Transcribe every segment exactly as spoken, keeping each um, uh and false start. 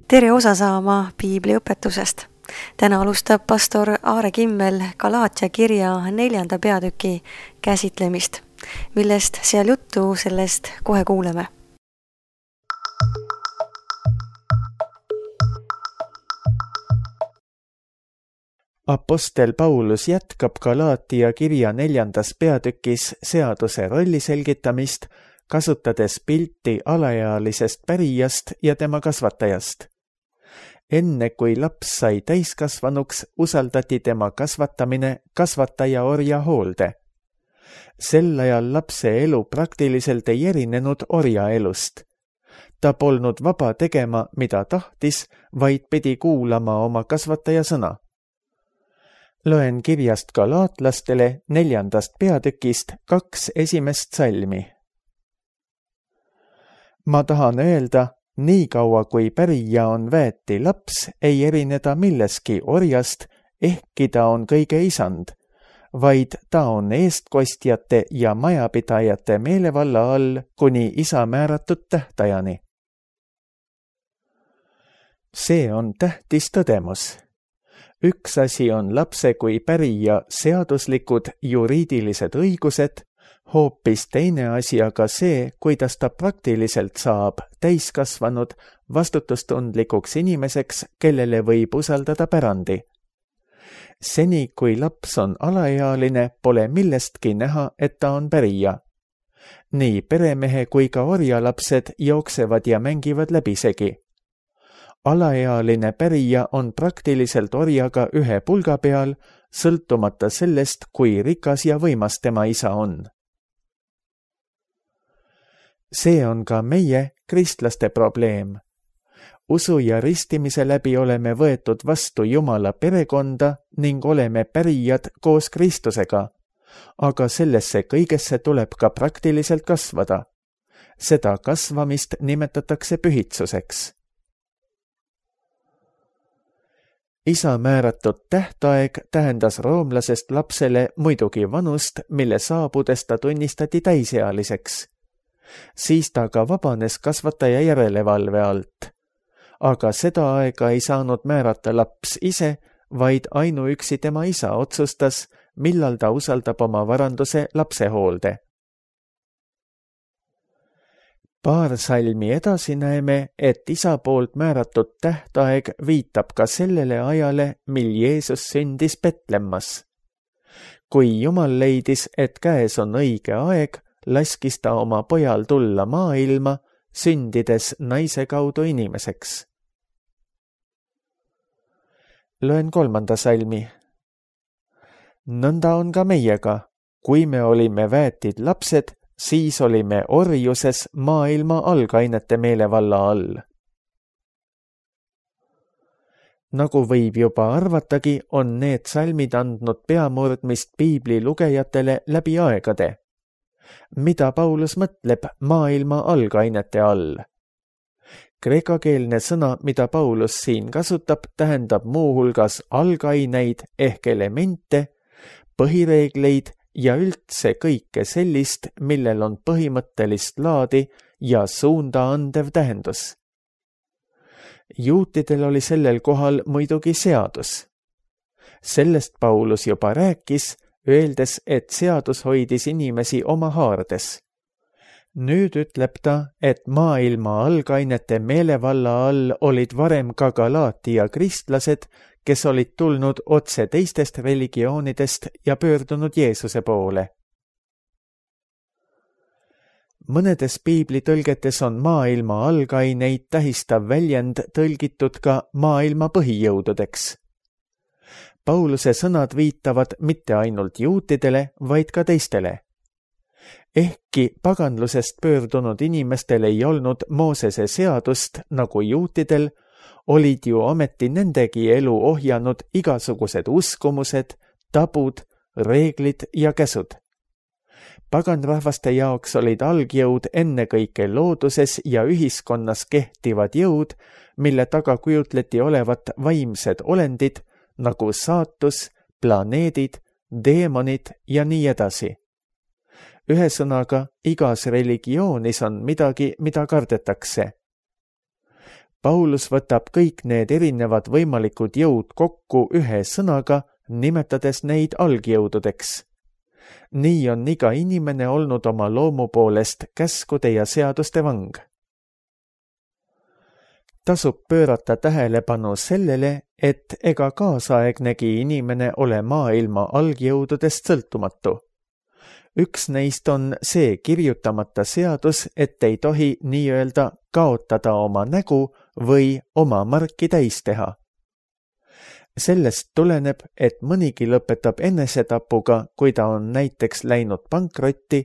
Tere osa saama piibliõpetusest. Täna alustab pastor Aare Kimmel Galaatia kirja neljanda peatüki käsitlemist, millest seal juttu, sellest kohe kuuleme. Apostel Paulus jätkab Galaatia kirja neljandas peatükis seaduse rolli selgitamist, kasutades pilti alaealisest pärijast ja tema kasvatajast. Enne kui laps sai täiskasvanuks, usaldati tema kasvatamine kasvataja orja hoolde. Sel ajal lapse elu praktiliselt ei erinenud orja elust. Ta polnud vaba tegema, mida tahtis, vaid pidi kuulama oma kasvataja sõna. Loen kirjast galaatlastele neljandast peatükist kaks esimest salmi. Ma tahan öelda, nii kaua kui pärija on väeti laps, ei erineda milleski orjast, ehkki ta on kõige isand, vaid ta on eestkostjate ja majapidajate meelevalla all kuni isa määratud tähtajani. See on tähtis tõdemus. Üks asi on lapse kui pärija seaduslikud juriidilised õigused, hoopis teine asi aga see, kuidas ta praktiliselt saab täiskasvanud vastutustundlikuks inimeseks, kellele võib usaldada pärandi. Seni, kui laps on alaealine, pole millestki näha, et ta on pärija. Nii peremehe kui ka orjalapsed jooksevad ja mängivad läbisegi. Alaealine pärija on praktiliselt orjaga ühe pulga peal, sõltumata sellest, kui rikas ja võimas tema isa on. See on ka meie, kristlaste probleem. Usu ja ristimise läbi oleme võetud vastu Jumala perekonda ning oleme pärijad koos Kristusega, aga sellesse kõigesse tuleb ka praktiliselt kasvada. Seda kasvamist nimetatakse pühitsuseks. Isa määratud tähtaeg tähendas roomlasest lapsele muidugi vanust, mille saabudes ta tunnistati täisealiseks. Siis ta ka vabanes kasvataja järelevalve alt. Aga seda aega ei saanud määrata laps ise, vaid ainuüksi tema isa otsustas, millal ta usaldab oma varanduse lapse hoolde. Paar salmi edasi näeme, et isa poolt määratud tähtaeg viitab ka sellele ajale, mil Jeesus sündis Betlemmas. Kui Jumal leidis, et käes on õige aeg, laskis ta oma pojal tulla maailma, sündides naise kaudu inimeseks. Loen kolmanda salmi. Nõnda on ka meiega. Kui me olime väetid lapsed, siis olime orjuses maailma algainete meelevalla all. Nagu võib juba arvatagi, on need salmid andnud peamurdmist piibli lugejatele läbi aegade. Mida Paulus mõtleb maailma algainete all? Kreekakeelne sõna, mida Paulus siin kasutab, tähendab muuhulgas algaineid ehk elemente, põhireegleid ja üldse kõike sellist, millel on põhimõttelist laadi ja suunda andev tähendus. Juutidel oli sellel kohal muidugi seadus. Sellest Paulus juba rääkis, öeldes, et seadus hoidis inimesi oma haardes. Nüüd ütleb ta, et maailma algainete meelevalla all olid varem ka Galaatia kristlased, kes olid tulnud otse teistest religioonidest ja pöördunud Jeesuse poole. Mõnedes piiblitõlgetes on maailma algaineid tähistav väljend tõlgitud ka maailma põhijõududeks. Pauluse sõnad viitavad mitte ainult juutidele, vaid ka teistele. Ehkki paganlusest pöördunud inimestel ei olnud Moosese seadust nagu juutidel, olid ju ometi nendegi elu ohjanud igasugused uskumused, tabud, reeglid ja käsud. Paganrahvaste jaoks olid algjõud ennekõike looduses ja ühiskonnas kehtivad jõud, mille taga kujutleti olevat vaimsed olendid, nagu saatus, planeedid, deemonid ja nii edasi. Ühesõnaga, igas religioonis on midagi, mida kardetakse. Paulus võtab kõik need erinevad võimalikud jõud kokku ühe sõnaga, nimetades neid algjõududeks. nii on iga inimene olnud oma loomu poolest käskude ja seaduste vang. Tasub pöörata tähelepanu sellele, et ega kaasaegnegi inimene ole maailma algjõududest sõltumatu. Üks neist on see kirjutamata seadus, et ei tohi nii-öelda kaotada oma nägu või oma marki täis teha. Sellest tuleneb, et mõnigi lõpetab enesetapuga, kui ta on näiteks läinud pankrotti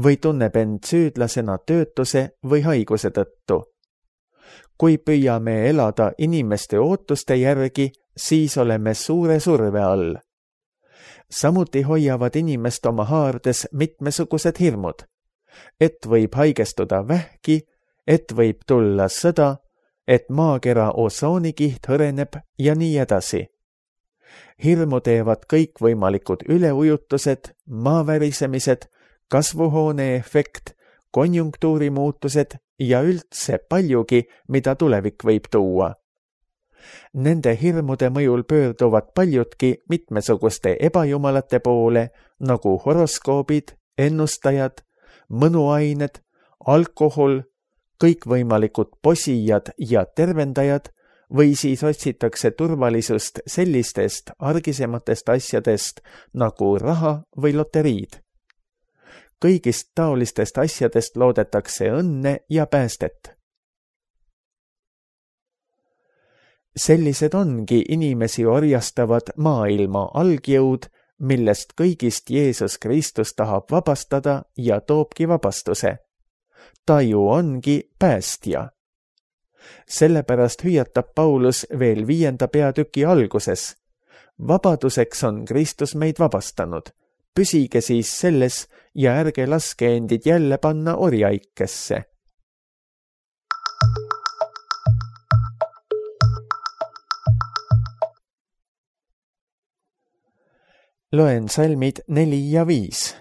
või tunneb end süüdlasena töötuse või haiguse tõttu. Kui püüame elada inimeste ootuste järgi, siis oleme suure surve all. Samuti hoiavad inimest oma haardes mitmesugused hirmud, et võib haigestuda vähki, et võib tulla sõda, et maakera osoonikiht hõreneb ja nii edasi. Hirmu teevad kõikvõimalikud üleujutused, maavärisemised, kasvuhoone efekt, konjunktuuri muutused ja üldse paljugi, mida tulevik võib tuua. Nende hirmude mõjul pöörduvad paljudki mitmesuguste ebajumalate poole, nagu horoskoobid, ennustajad, mõnuained, alkohol, kõikvõimalikud posijad ja tervendajad, või siis otsitakse turvalisust sellistest argisematest asjadest nagu raha või loteriid. Kõigist taolistest asjadest loodetakse õnne ja päästet. Sellised ongi inimesi orjastavad maailma algjõud, millest kõigist Jeesus Kristus tahab vabastada ja toobki vabastuse. Ta ju ongi päästja. Sellepärast hüüatab Paulus veel viienda peatüki alguses. Vabaduseks on Kristus meid vabastanud. Püsige siis selles ja ärge laske endid jälle panna orjaikesse. Loen salmid neli ja viis.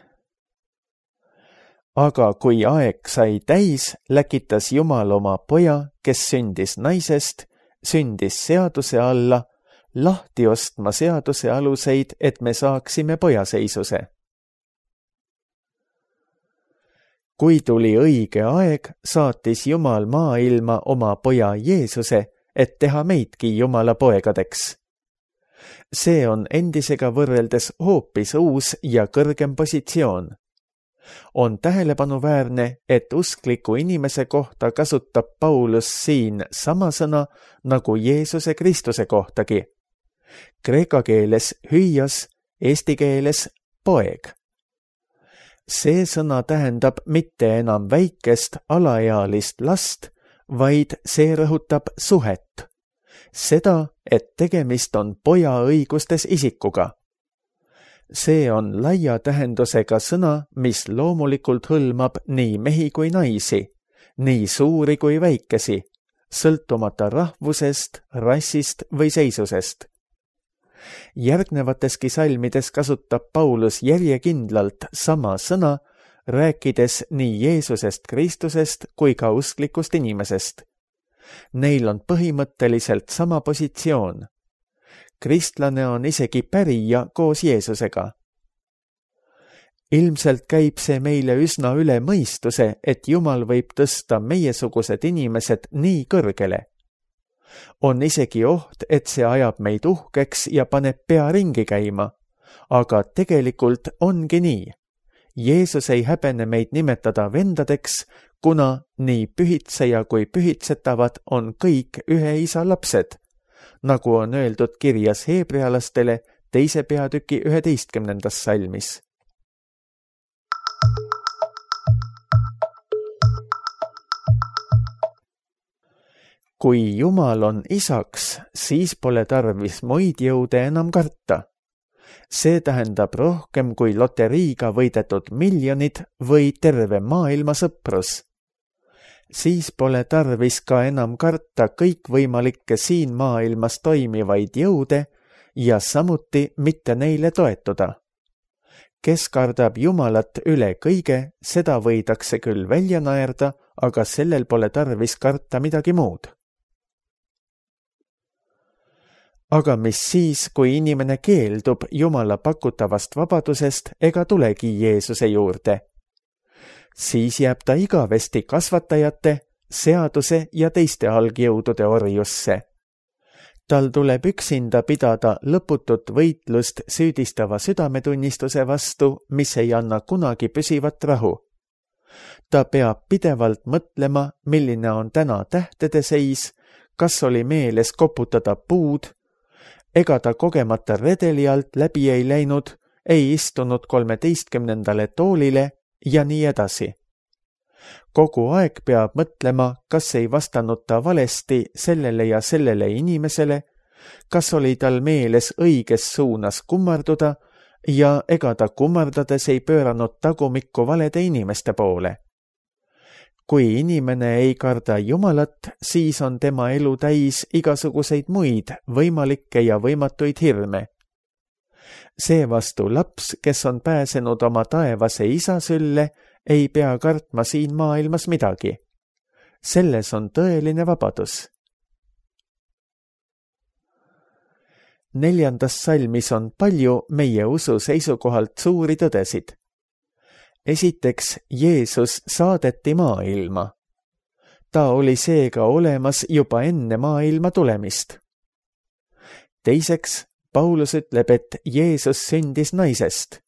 Aga kui aeg sai täis, läkitas Jumal oma poja, kes sündis naisest, sündis seaduse alla, lahti ostma seaduse aluseid, et me saaksime pojaseisuse. Kui tuli õige aeg, saatis Jumal maailma oma poja Jeesuse, et teha meidki Jumala poegadeks. See on endisega võrreldes hoopis uus ja kõrgem positsioon. On tähelepanuväärne, et uskliku inimese kohta kasutab Paulus siin sama sõna nagu Jeesuse Kristuse kohtagi. Kreeka keeles hüüas, eesti keeles poeg. See sõna tähendab mitte enam väikest alaealist last, vaid see rõhutab suhet. Seda, et tegemist on poja õigustes isikuga. See on laia tähendusega sõna, mis loomulikult hõlmab nii mehi kui naisi, nii suuri kui väikesi, sõltumata rahvusest, rassist või seisusest. Järgnevateski salmides kasutab Paulus järjekindlalt sama sõna, rääkides nii Jeesusest Kristusest kui ka usklikust inimesest. Neil on põhimõtteliselt sama positsioon. Kristlane on isegi pärija koos Jeesusega. Ilmselt käib see meile üsna üle mõistuse, et Jumal võib tõsta meiesugused inimesed nii kõrgele. On isegi oht, et see ajab meid uhkeks ja paneb pea ringi käima, aga tegelikult ongi nii. Jeesus ei häbene meid nimetada vendadeks, kuna nii pühitseja kui pühitsetavad on kõik ühe isa lapsed, nagu on öeldud kirjas heebrealastele teise peatüki üheteistkümnendas salmis. Kui Jumal on isaks, siis pole tarvis muid jõude enam karta. See tähendab rohkem kui loteriiga võidetud miljonid või terve maailma sõprus. Siis pole tarvis ka enam karta kõikvõimalikke siin maailmas toimivaid jõude ja samuti mitte neile toetuda. Kes kardab Jumalat üle kõige, seda võidakse küll välja naerda, aga sellel pole tarvis karta midagi muud. aga mis siis, kui inimene keeldub Jumala pakutavast vabadusest ega tulegi Jeesuse juurde? Siis jääb ta igavesti kasvatajate, seaduse ja teiste algjõudude orjusse. Tal tuleb üksinda pidada lõputut võitlust süüdistava südametunnistuse vastu, mis ei anna kunagi püsivat rahu. Ta peab pidevalt mõtlema, milline on täna tähtede seis, kas oli meeles koputada puud, ega ta kogemata redeli alt läbi ei läinud, ei istunud kolmeteistkümnendale toolile ja nii edasi. Kogu aeg peab mõtlema, kas ei vastanud ta valesti sellele ja sellele inimesele, kas oli tal meeles õiges suunas kummarduda ja ega ta kummardades ei pööranud tagumikku valede inimeste poole. Kui inimene ei karda Jumalat, siis on tema elu täis igasuguseid muid võimalikke ja võimatuid hirme. Seevastu laps, kes on pääsenud oma taevase isa sülle, ei pea kartma siin maailmas midagi. Selles on tõeline vabadus. Neljandas salmis on palju meie usu seisukohalt suuri tõdesid. Esiteks, Jeesus saadeti maailma. Ta oli seega olemas juba enne maailma tulemist. Teiseks, Paulus ütleb, et Jeesus sündis naisest.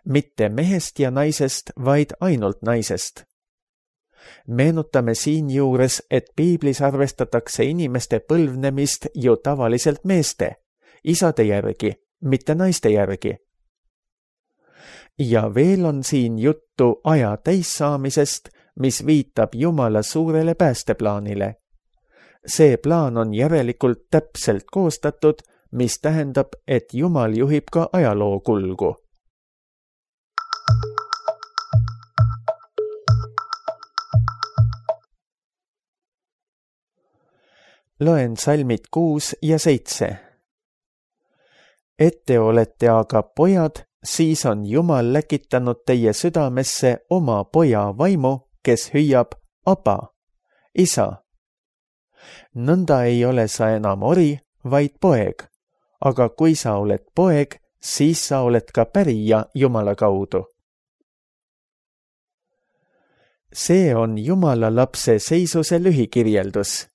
Mitte mehest ja naisest, vaid ainult naisest. Meenutame siinjuures, et piiblis arvestatakse inimeste põlvnemist ju tavaliselt meeste, isade järgi, mitte naiste järgi. Ja veel on siin juttu aja täissaamisest, mis viitab Jumala suurele päästeplaanile. See plaan on järelikult täpselt koostatud, mis tähendab, et Jumal juhib ka ajaloo kulgu. Loen salmid kuus ja seitse. Ette olete aga pojad, siis on Jumal läkitanud teie südamesse oma poja vaimu, kes hüüab Aba, isa. Nõnda ei ole sa enam ori, vaid poeg, aga kui sa oled poeg, siis sa oled ka pärija Jumala kaudu. See on Jumala lapse seisuse lühikirjeldus.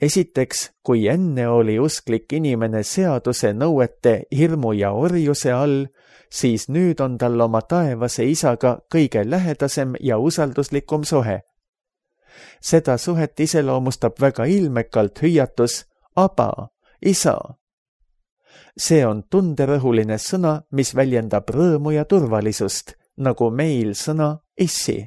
Esiteks, kui enne oli usklik inimene seaduse nõuete hirmu ja orjuse all, siis nüüd on tal oma taevase isaga kõige lähedasem ja usalduslikum suhe. Seda suhet iseloomustab väga ilmekalt hüüatus Aba, isa. See on tunderõhuline sõna, mis väljendab rõõmu ja turvalisust, nagu meil sõna issi.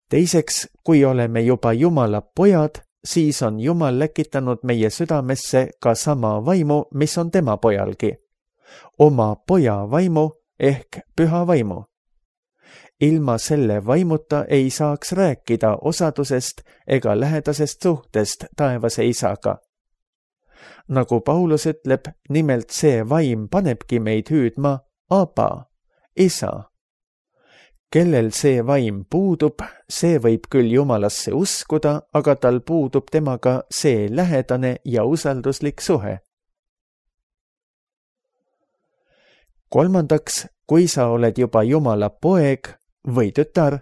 Teiseks, kui oleme juba Jumala pojad, siis on Jumal läkitanud meie südamesse ka sama vaimu, mis on tema pojalgi. Oma poja vaimu ehk püha vaimu. Ilma selle vaimuta ei saaks rääkida osadusest ega lähedasest suhtest taevase isaga. Nagu Paulus ütleb, nimelt see vaim panebki meid hüüdma Aba, isa. Kellel see vaim puudub, see võib küll Jumalasse uskuda, aga tal puudub temaga see lähedane ja usalduslik suhe. Kolmandaks, kui sa oled juba Jumala poeg või tütar,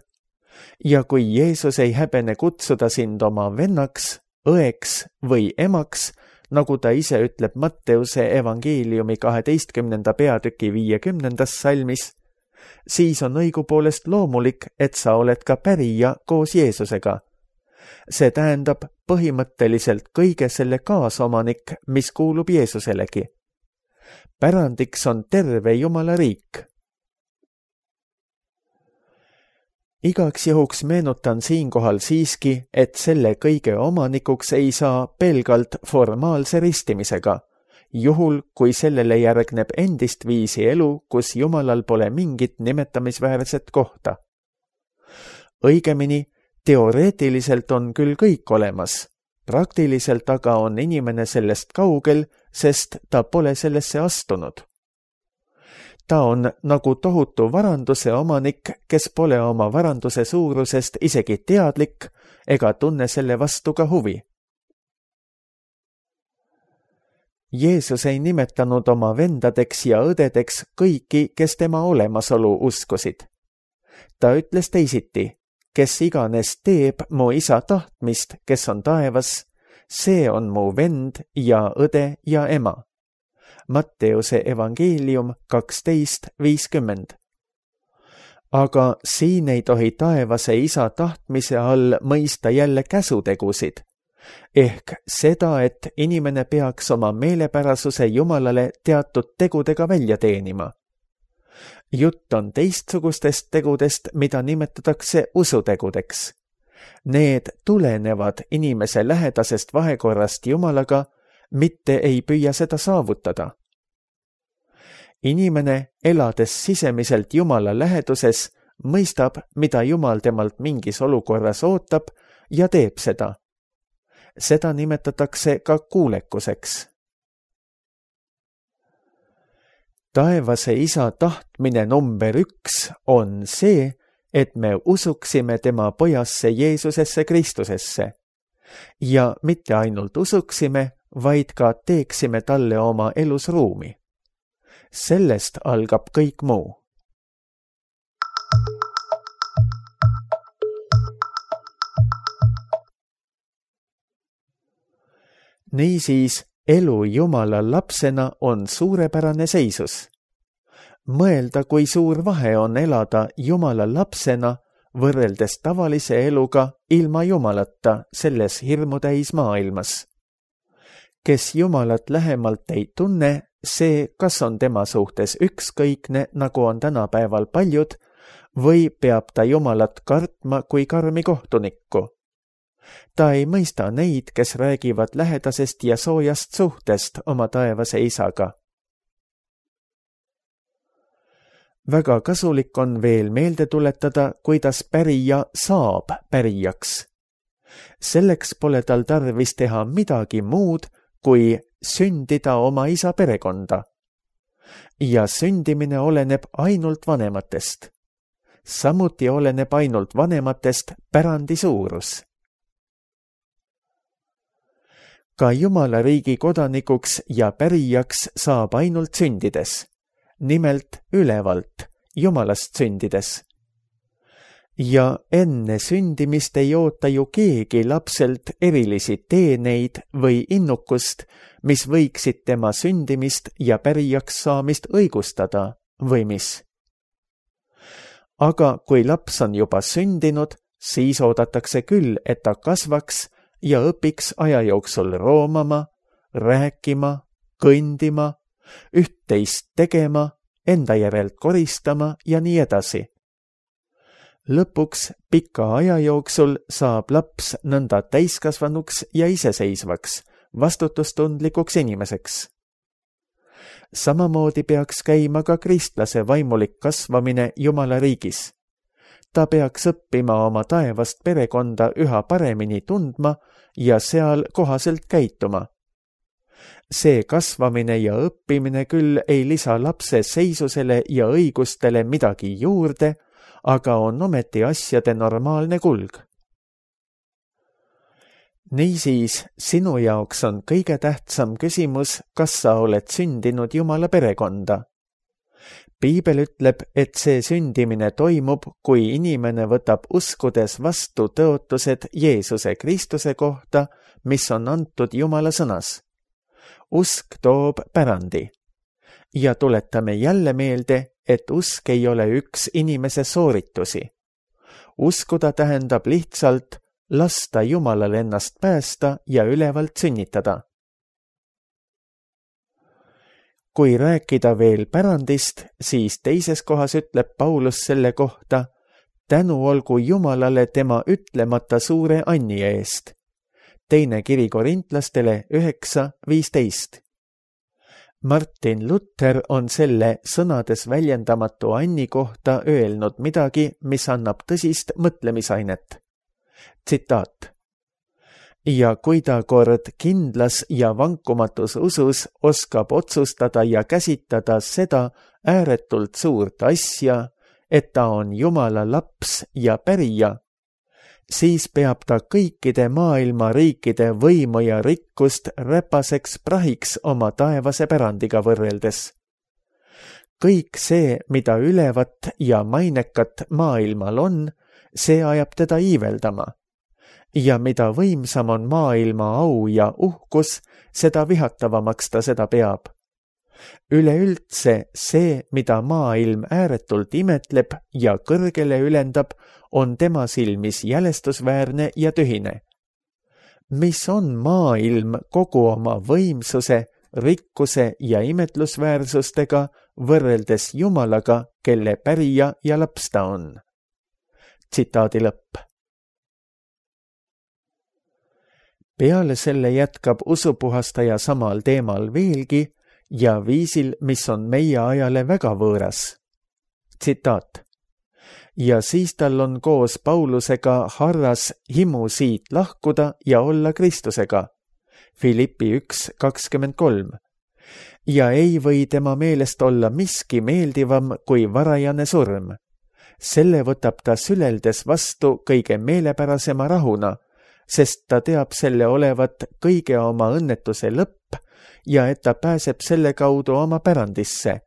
ja kui Jeesus ei häbene kutsuda sind oma vennaks, õeks või emaks, nagu ta ise ütleb Matteuse evangeeliumi kaheteistkümnenda peatüki viiekümnendas salmis, siis on õigupoolest loomulik, et sa oled ka pärija koos Jeesusega. See tähendab põhimõtteliselt kõige selle kaasomanik, mis kuulub Jeesuselegi. Pärandiks on terve Jumala riik. Igaks juhuks meenutan siinkohal siiski, et selle kõige omanikuks ei saa pelgalt formaalse ristimisega, juhul, kui sellele järgneb endist viisi elu, kus Jumalal pole mingit nimetamisväärset kohta. Õigemini, teoreetiliselt on küll kõik olemas, praktiliselt aga on inimene sellest kaugel, sest ta pole sellesse astunud. Ta on nagu tohutu varanduse omanik, kes pole oma varanduse suurusest isegi teadlik ega tunne selle vastu ka huvi. Jeesus ei nimetanud oma vendadeks ja õdedeks kõiki, kes tema olemasolu uskusid. Ta ütles teisiti, kes iganes teeb mu isa tahtmist, kes on taevas, see on mu vend ja õde ja ema. Matteuse evangeelium kaksteist viiskümmend. Aga siin ei tohi taevase isa tahtmise all mõista jälle käsutegusid, ehk seda, et inimene peaks oma meelepärasuse Jumalale teatud tegudega välja teenima. Jutt on teistsugustest tegudest, mida nimetatakse usutegudeks. Need tulenevad inimese lähedasest vahekorrast Jumalaga, mitte ei püüa seda saavutada. Inimene, elades sisemiselt Jumala läheduses, mõistab, mida Jumal temalt mingis olukorras ootab ja teeb seda. Seda nimetatakse ka kuulekuseks. Taevase isa tahtmine number üks on see, et me usuksime tema pojasse Jeesusesse Kristusesse. Ja mitte ainult usuksime, vaid ka teeksime talle oma elus ruumi. Sellest algab kõik muu. Niisiis, elu Jumala lapsena on suurepärane seisus. Mõelda, kui suur vahe on elada Jumala lapsena võrreldes tavalise eluga ilma Jumalata selles hirmutäis maailmas. Kes Jumalat lähemalt ei tunne, see, kas on tema suhtes ükskõikne, nagu on tänapäeval paljud, või peab ta Jumalat kartma kui karmi kohtunikku. Ta ei mõista neid, kes räägivad lähedasest ja soojast suhtest oma taevase isaga. Väga kasulik on veel meelde tuletada, kuidas pärija saab pärijaks. Selleks pole tal tarvis teha midagi muud, kui sündida oma isa perekonda. Ja sündimine oleneb ainult vanematest. Samuti oleneb ainult vanematest pärandi suurus. Ka Jumala riigi kodanikuks ja pärijaks saab ainult sündides, nimelt ülevalt, Jumalast sündides. Ja enne sündimist ei oota ju keegi lapselt erilisi teeneid või innukust, mis võiksid tema sündimist ja pärijaks saamist õigustada, või mis? Aga kui laps on juba sündinud, siis oodatakse küll, et ta kasvaks ja õpiks aja jooksul roomama, rääkima, kõndima, üht-teist tegema, enda järelt koristama ja nii edasi. Lõpuks pika aja jooksul saab laps nõnda täiskasvanuks ja iseseisvaks, vastutustundlikuks inimeseks. Samamoodi peaks käima ka kristlase vaimulik kasvamine Jumala riigis. Ta peaks õppima oma taevast perekonda üha paremini tundma ja seal kohaselt käituma. See kasvamine ja õppimine küll ei lisa lapse seisusele ja õigustele midagi juurde, aga on ometi asjade normaalne kulg. Niisiis, sinu jaoks on kõige tähtsam küsimus, kas sa oled sündinud Jumala perekonda. Piibel ütleb, et see sündimine toimub, kui inimene võtab uskudes vastu tõotused Jeesuse Kristuse kohta, mis on antud Jumala sõnas. Usk toob pärandi. Ja tuletame jälle meelde, et usk ei ole üks inimese sooritusi. Uskuda tähendab lihtsalt lasta Jumalal ennast päästa ja ülevalt sünnitada. Kui rääkida veel pärandist, siis teises kohas ütleb Paulus selle kohta, tänu olgu Jumalale tema ütlemata suure anni eest. Teine kiri korintlastele üheksa viisteist. Martin Luther on selle sõnades väljendamatu anni kohta öelnud midagi, mis annab tõsist mõtlemisainet. Tsitaat. Ja kui ta kord kindlas ja vankumatus usus oskab otsustada ja käsitada seda ääretult suurt asja, et ta on Jumala laps ja pärija, siis peab ta kõikide maailma riikide võimu ja rikkust räpaseks prahiks oma taevase pärandiga võrreldes. Kõik see, mida ülevat ja mainekat maailmal on, see ajab teda iiveldama. Ja mida võimsam on maailma au ja uhkus, seda vihatavamaks ta seda peab. Üleüldse see, mida maailm ääretult imetleb ja kõrgele ülendab, on tema silmis jälestusväärne ja tühine. Mis on maailm kogu oma võimsuse, rikkuse ja imetlusväärsustega võrreldes Jumalaga, kelle pärija ja laps ta on? Tsitaadi lõpp. Peale selle jätkab usupuhastaja samal teemal veelgi ja viisil, mis on meie ajale väga võõras. Tsitaat. Ja siis tal on koos Paulusega harras himu siit lahkuda ja olla Kristusega. Filippi üks kakskümmend kolm. Ja ei või tema meelest olla miski meeldivam kui varajane surm. Selle võtab ta süleldes vastu kõige meelepärasema rahuna, sest ta teab selle olevat kõige oma õnnetuse lõpp ja et ta pääseb selle kaudu oma pärandisse.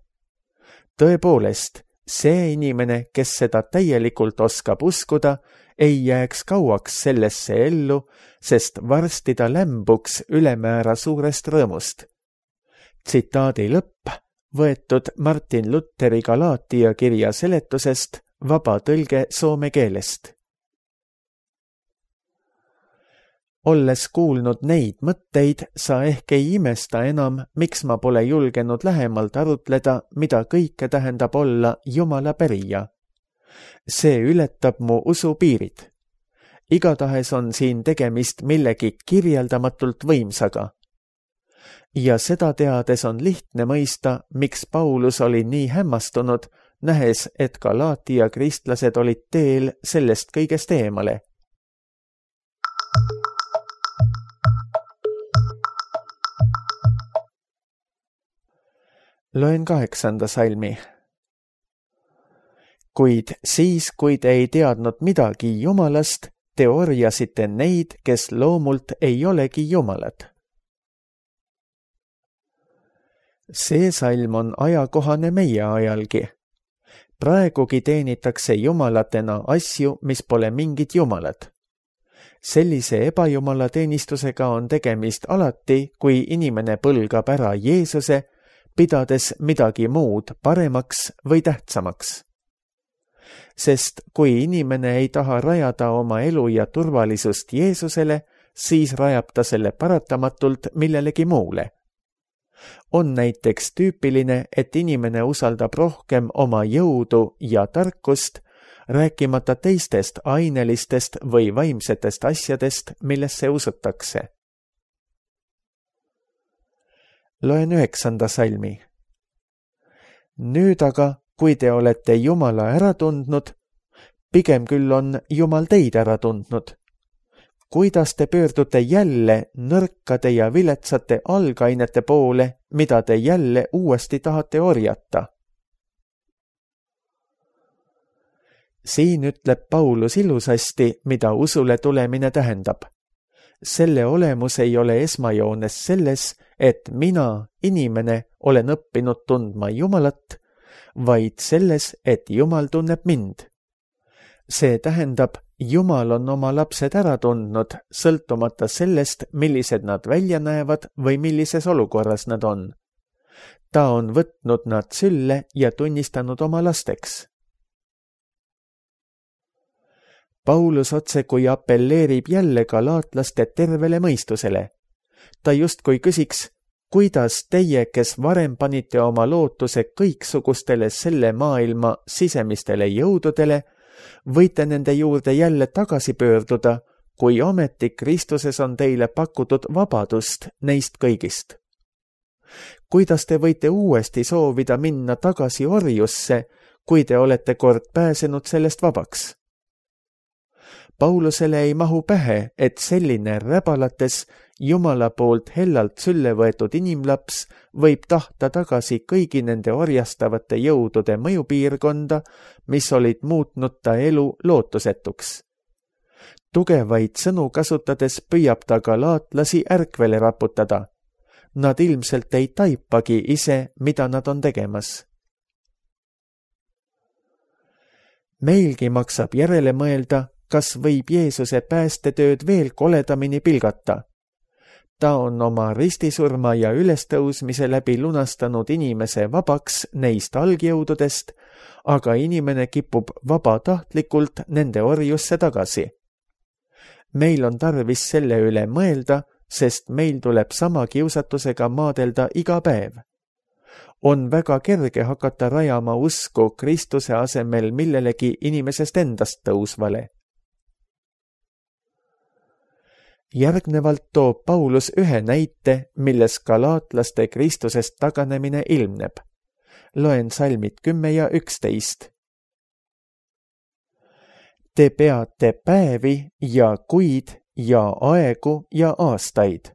Tõepoolest, see inimene, kes seda täielikult oskab uskuda, ei jääks kauaks sellesse ellu, sest varsti ta lämbuks ülemäära suurest rõõmust. Tsitaadi lõpp, võetud Martin Lutheri Galaatia kirja seletusest, vaba tõlge soome keelest. Olles kuulnud neid mõtteid, sa ehk ei imesta enam, miks ma pole julgenud lähemalt arutleda, mida kõike tähendab olla Jumala pärija. See ületab mu usu piirid. Igatahes on siin tegemist millegi kirjeldamatult võimsaga. Ja seda teades on lihtne mõista, miks Paulus oli nii hämmastunud, nähes, et Galaatia kristlased olid teel sellest kõigest eemale. Loen kaheksanda salmi. Kuid siis, kui te ei teadnud midagi Jumalast, te orjasite neid, kes loomult ei olegi Jumalad. See salm on ajakohane meie ajalgi. Praegugi teenitakse jumalatena asju, mis pole mingid jumalad. Sellise ebajumala teenistusega on tegemist alati, kui inimene põlgab ära Jeesuse, pidades midagi muud paremaks või tähtsamaks. Sest kui inimene ei taha rajada oma elu ja turvalisust Jeesusele, siis rajab ta selle paratamatult millelegi muule. On näiteks tüüpiline, et inimene usaldab rohkem oma jõudu ja tarkust, rääkimata teistest ainelistest või vaimsetest asjadest, millesse usutakse. Loen üheksanda salmi. Nüüd aga, kui te olete Jumala ära tundnud, pigem küll on Jumal teid ära tundnud. Kuidas te pöördute jälle nõrkade ja viletsate algainete poole, mida te jälle uuesti tahate orjata? Siin ütleb Paulus ilusasti, mida usule tulemine tähendab. Selle olemus ei ole esmajoones selles, et mina, inimene, olen õppinud tundma Jumalat, vaid selles, et Jumal tunneb mind. See tähendab, Jumal on oma lapsed ära tundnud, sõltumata sellest, millised nad välja näevad või millises olukorras nad on. Ta on võtnud nad sülle ja tunnistanud oma lasteks. Paulus otsekui appelleerib jälle galaatlaste tervele mõistusele. Ta justkui küsiks, kuidas teie, kes varem panite oma lootuse kõiksugustele selle maailma sisemistele jõududele, võite nende juurde jälle tagasi pöörduda, kui ometi Kristuses on teile pakutud vabadust neist kõigist. Kuidas te võite uuesti soovida minna tagasi orjusse, kui te olete kord pääsenud sellest vabaks? Paulusele ei mahu pähe, et selline räbalates Jumala poolt hellalt sülle võetud inimlaps võib tahta tagasi kõigi nende orjastavate jõudude mõjupiirkonda, mis olid muutnud ta elu lootusetuks. Tugevaid sõnu kasutades püüab ta galaatlasi ärkvele raputada. Nad ilmselt ei taipagi ise, mida nad on tegemas. Meilgi maksab järele mõelda, kas võib Jeesuse päästetööd veel koledamini pilgata. Ta on oma ristisurma ja ülestõusmise läbi lunastanud inimese vabaks neist algjõududest, aga inimene kipub vabatahtlikult nende orjusse tagasi. Meil on tarvis selle üle mõelda, sest meil tuleb sama kiusatusega maadelda iga päev. On väga kerge hakata rajama usku Kristuse asemel millelegi inimesest endast tõusvale. Järgnevalt toob Paulus ühe näite, milles galaatlaste Kristusest taganemine ilmneb. Loen salmid kümme ja üksteist. Te peate päevi ja kuid ja aegu ja aastaid.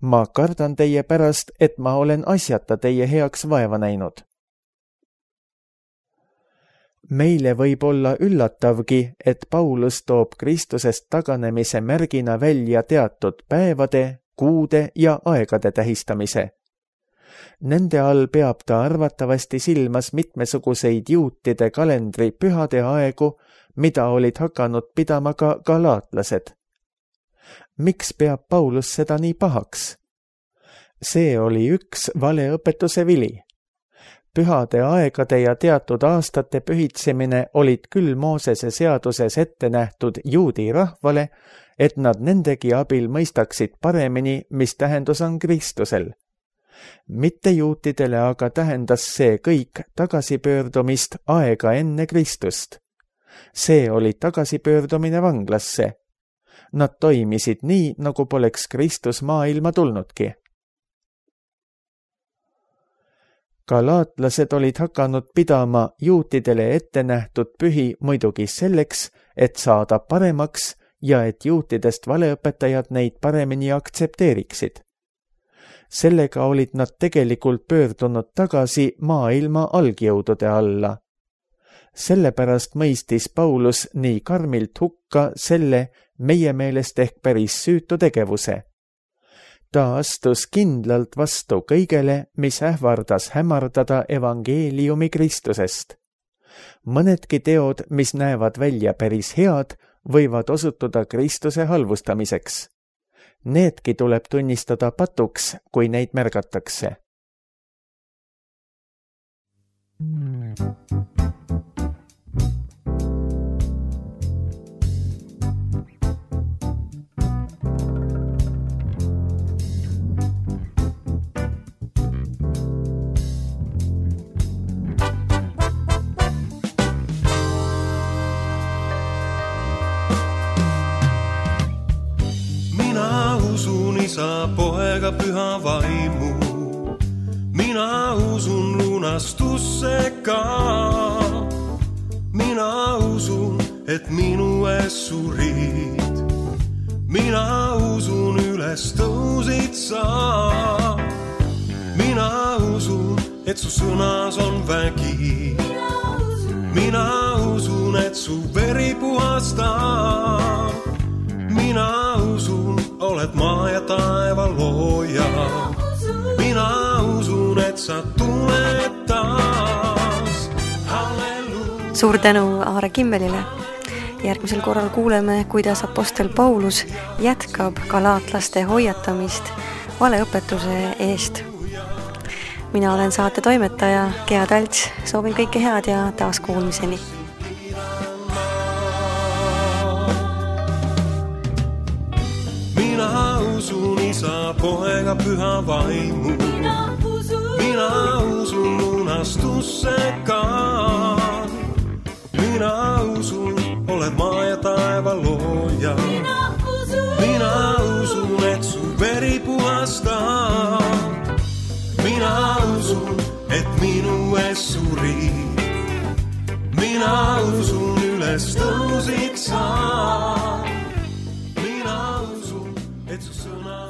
Ma kardan teie pärast, et ma olen asjata teie heaks vaeva näinud. Meile võib olla üllatavgi, et Paulus toob Kristusest taganemise märgina välja teatud päevade, kuude ja aegade tähistamise. Nende all peab ta arvatavasti silmas mitmesuguseid juutide kalendri pühade aegu, mida olid hakanud pidama ka galaatlased. Miks peab Paulus seda nii pahaks? See oli üks valeõpetuse vili. Pühade aegade ja teatud aastate pühitsemine olid küll Moosese seaduses ette nähtud juudi rahvale, et nad nendegi abil mõistaksid paremini, mis tähendus on Kristusel. Mitte juutidele aga tähendas see kõik tagasipöördumist aega enne Kristust. See oli tagasipöördumine vanglasse. Nad toimisid nii, nagu poleks Kristus maailma tulnudki. Galaatlased olid hakanud pidama juutidele ette nähtud pühi muidugi selleks, et saada paremaks ja et juutidest valeõpetajad neid paremini aktsepteeriksid. Sellega olid nad tegelikult pöördunud tagasi maailma algjõudude alla. Sellepärast mõistis Paulus nii karmilt hukka selle meie meelest ehk päris süütu tegevuse. Ta astus kindlalt vastu kõigele, mis ähvardas hämardada evangeeliumi Kristusest. Mõnedki teod, mis näevad välja päris head, võivad osutuda Kristuse halvustamiseks. Needki tuleb tunnistada patuks, kui neid märgatakse. Isa, poega, püha vaimu. Mina usun lunastusse ka. Mina usun, et minu ees surid. Mina usun, üles tõusid sa. Mina usun, et su sõnas on vägi. Mina usun, et su veri puhastab. Mina usun, oled maa ja taeva looja. Mina usun, et sa tuled taas. Halleluuja. Suur tänu Aare Kimmelile. Järgmisel korral kuuleme, kuidas apostel Paulus jätkab galaatlaste hoiatamist valeõpetuse eest. Mina olen saate toimetaja Gea Talts. Soovin kõike head ja taas kuulmiseni. Mina usun Isa, poega, püha vaimu. Mina usun, Mina usun lunastusse ka. Mina usun, oled maa ja taeva looja. Mina usun, Mina usun, et su veri puhastab. Mina usun, et minu ees surid. Mina usun, üles tõusid sa. Mina usun, et su sõna